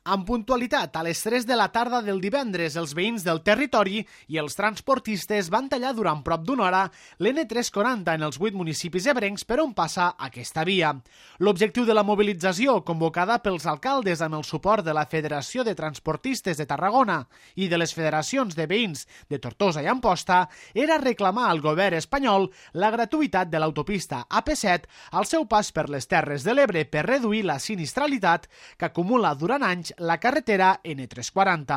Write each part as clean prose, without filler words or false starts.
Amb puntualitat, a les 3 de la tarda del divendres, els veïns del territori i els transportistes van tallar durant prop d'una hora l'N340 en els 8 municipis ebrencs per on passa aquesta via. L'objectiu de la mobilització, convocada pels alcaldes amb el suport de la Federació de Transportistes de Tarragona i de les federacions de veïns de Tortosa i Amposta, era reclamar al govern espanyol la gratuïtat de l'autopista AP7 al seu pas per les Terres de l'Ebre per reduir la sinistralitat que acumula durant anys la carretera N340.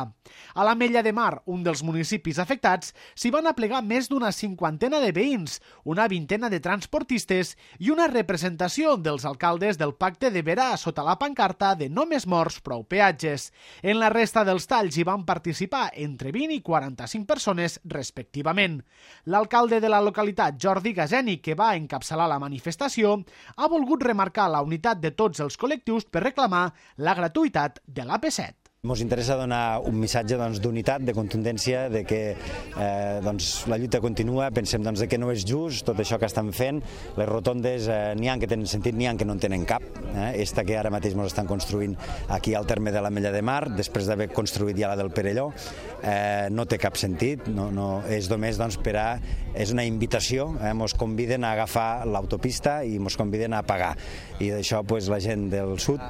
A l'Ametlla de Mar, un dels municipis afectats, s'hi van aplegar més d'una cinquantena de veïns, una vintena de transportistes i una representació dels alcaldes del Pacte de Verà sota la pancarta de no més morts, prou peatges. En la resta dels talls hi van participar entre 20 i 45 persones respectivament. L'alcalde de la localitat, Jordi Gazeni, que va encapçalar la manifestació, ha volgut remarcar la unitat de tots els col·lectius per reclamar la gratuïtat de l'AP7. Ens interessa donar un missatge d'unitat, de contundència, de que la lluita continua, pensem de que no és just tot això que estan fent. Les rotondes n'hi ha que tenen sentit, n'hi ha que no en tenen cap. Esta que ara mateix ens estan construint aquí al terme de l'Ametlla de Mar, després d'haver construït ja la del Perelló, no té cap sentit, és només és una invitació, ens conviden a agafar l'autopista i ens conviden a pagar. I d'això la gent del sud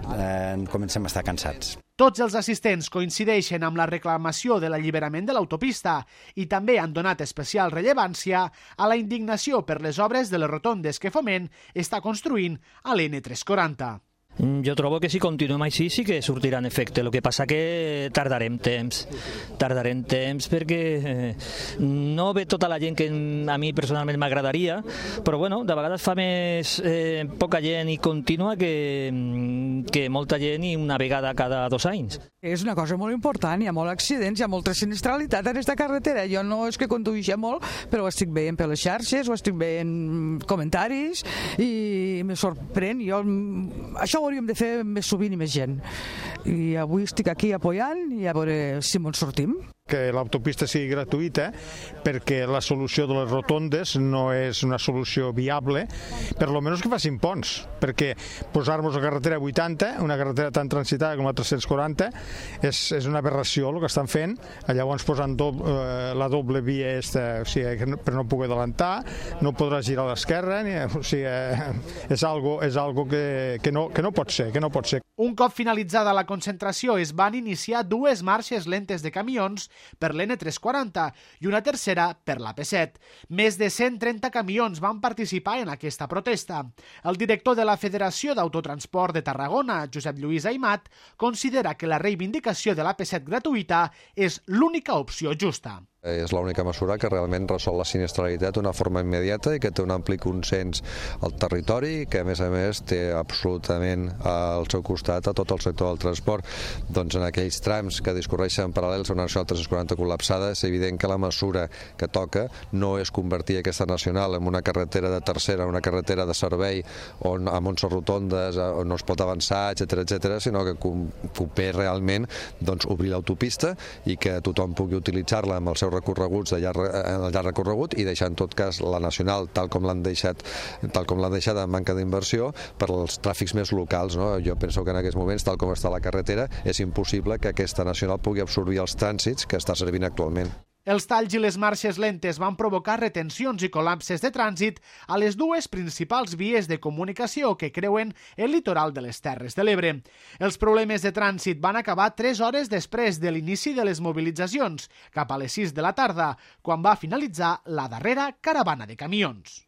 comencem a estar cansats. Tots els assistents coincideixen amb la reclamació de l'alliberament de l'autopista i també han donat especial rellevància a la indignació per les obres de les rotondes que Foment està construint a l'N340. Jo trobo que si continuem així sí que sortirà en efecte. El que passa que tardarem temps perquè no ve tota la gent que a mi personalment m'agradaria, però bueno, de vegades fa més poca gent i contínua que molta gent i una vegada cada 2 anys. És una cosa molt important, hi ha molts accidents, hi ha molta sinistralitat en aquesta carretera. Jo no és que conduïsca molt, però ho estic veient per les xarxes, ho estic veient comentaris i me sorprèn. Això ho hauríem de fer més sovint i més gent. I avui estic aquí apoyant i a veure si ens sortim. Que l'autopista sigui gratuïta perquè la solució de les rotondes no és una solució viable, per lo menys que facin ponts, perquè posar-nos a carretera 80, una carretera tan transitada com la 340, és una aberració el que estan fent. Llavors posant la doble via per no poder adelantar, no podrà girar a l'esquerra, és algo que no pot ser. Un cop finalitzada la concentració es van iniciar 2 marxes lentes de camions per l'N340 i una tercera per l'AP7. Més de 130 camions van participar en aquesta protesta. El director de la Federació d'Autotransport de Tarragona, Josep Lluís Aimat, considera que la reivindicació de l'AP7 gratuïta és l'única opció justa. És l'única mesura que realment resol la sinistralitat d'una forma immediata i que té un ampli consens al territori i que a més té absolutament al seu costat a tot el sector del transport. Doncs en aquells trams que discorreixen paral·lels a una nacional 340 col·lapsada és evident que la mesura que toca no és convertir aquesta nacional en una carretera de tercera, una carretera de servei amb 11 rotondes on no es pot avançar, etcètera, sinó que convé realment obrir l'autopista i que tothom pugui utilitzar-la amb el seu recorreguts de llarg recorregut i deixar en tot cas la nacional tal com l'han deixat amb manca d'inversió per als tràfics més locals. Jo penso que en aquests moments, tal com està la carretera, és impossible que aquesta nacional pugui absorbir els trànsits que està servint actualment. Els talls i les marxes lentes van provocar retencions i col·lapses de trànsit a les 2 principals vies de comunicació que creuen el litoral de les Terres de l'Ebre. Els problemes de trànsit van acabar 3 hores després de l'inici de les mobilitzacions, cap a les 6 de la tarda, quan va finalitzar la darrera caravana de camions.